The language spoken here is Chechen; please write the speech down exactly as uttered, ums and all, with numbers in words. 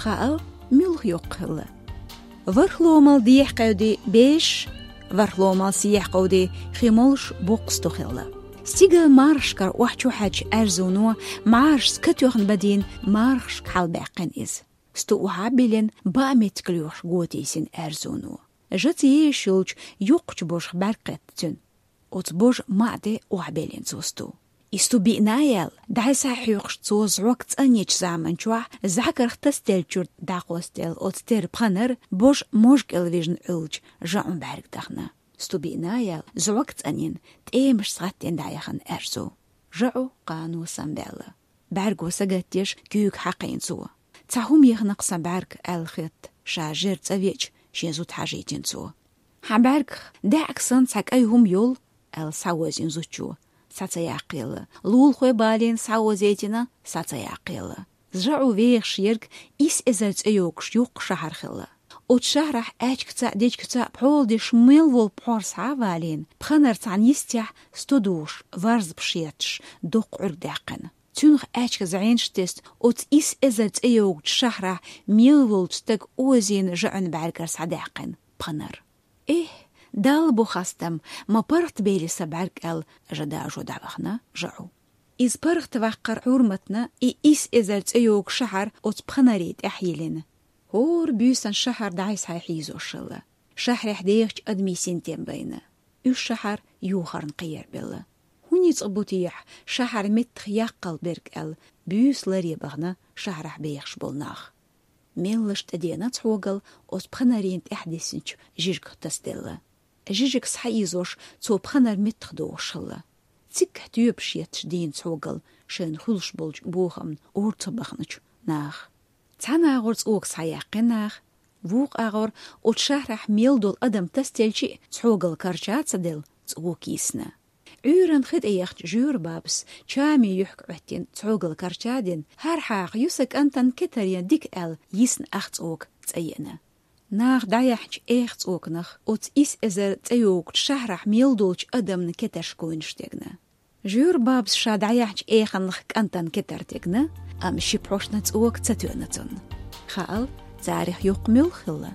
Хаал, муьлха йоккха хилла. Вархломал дехьа кхевди беш, вархломал сехьа кховди хи молуш боккха сто хилла. Стигал мархашкара охьа чухьаьчча аьрзуно, мӀарашца катоьхна бадийна, мархашка хьалабаьккхина иза. Сто охьа а биллина, баа меттиг лоьхуш го тийсина аьрзуно. Жаца езаш йолчу йоккхачу божах бӀаьрг кхетта цуьнан. Оцу божа маӀа тӀе охьабеллина цо сто. И сто биъна а яьлла, дӀай схьахьоькхуш цо зӀок цӀанъечу заман чохь зӀакарх тасделлачуьра дӀакхостаелла оцу терра пханара божа можа кӀел вижна Ӏуьллучу жаӀун бӀаьрг дахана. Сто биъна а яьлла, зӀок цӀанйина, тӀемашца гӀаттийна дӀаяхана аьрзу. ЖаӀу кхано самаваьлла. БӀаьрго сагатдеш куьйга хьакхийна цо. «Цхьа хӀума яхана-кх сан бӀаьрг», — аьлла хетта, ша жер цӀа веача, шен зуда хьажийтина цо. «Хьан бӀаьргах даьӀахк санна цхьа кӀай хӀума йолу?» — аьлла схьаозийна зудчо. Схьа ца яккхаелла. Лулахой балийна схьаозийтина, схьа ца яккхаелла. ЖаӀу вехаш ерг исс эзар цӀе йогуш йоккха шахьар хилла. Оцу шахьарахь аьчкаца а, дечкаца а пхьола деш мел волу пхьор схьа а валийна, пханара цхьана йистехь сто духуш, варзба шетташ, доккха Ӏуьрг даьккхина. Цуьнах аьчка зӀенаш тесна, оцу исс эзар цӀе йогучу шахьарахь мел волчу стага озийна жаӀун бӀаьргара схьадаьккхина пханар. «Эхь, Далла бу хастам, ма паргӀатбели сан бӀаьрг», — аьлла, жа дажо дӀавахана жаӀу. Иза паргӀатваккхар хьурматна и исс эзар цӀе йогу шахьар оцу пханарийн тӀехь йиллина. ХӀора буьйсанна шахьар дӀай схьахьийзош хилла. Шахьарехь дехачу адамийн синтем байна. Уьш шахьар юхарна кхиярбелла. ХӀун ницкъ бу техьа шахьар меттах яккхал берг аьлла, буьйса ларе бахана шахьарахь бехаш болу нах. Меллаша тӀедеана цхьогал оцу пханарийн тӀехь диссинчу жижигах тасаделла. Жижиг схьаийзош цо пханар меттах дохуш хилла. Циггахь тоьпаш етташ дийна цхьогал шайна хуьлуш болчу бохамна орца баханачу наха. Цхьана агӀор цӀока схьаяьккхина наха, вукху агӀор оцу шахьарахь мел долу адам тасаделчи а цхьогал карча а ца делла, цӀока йисна. Ӏуьйранна хи тӀе яхча жоьра бабас чамийн юьхьиг Ӏоьттина цхьогал карча а дина, хӀара хьаха ю сан кӀантан кетарен дика аьлла, йисна ах цӀока цӀа еана. Наха дӀаяьхьначу эха цӀоканах оцу исс эзар цӀе йогучу шахьарахь мел долчу адамна кетарш гойнаш дегна. Жоьра бабас ша дӀаяьхьначу эханах кӀантан кетар дегна, амма ши пхьошна цӀока ца тоьъна цунна. Хаал, царах йоккха муьлха хилла.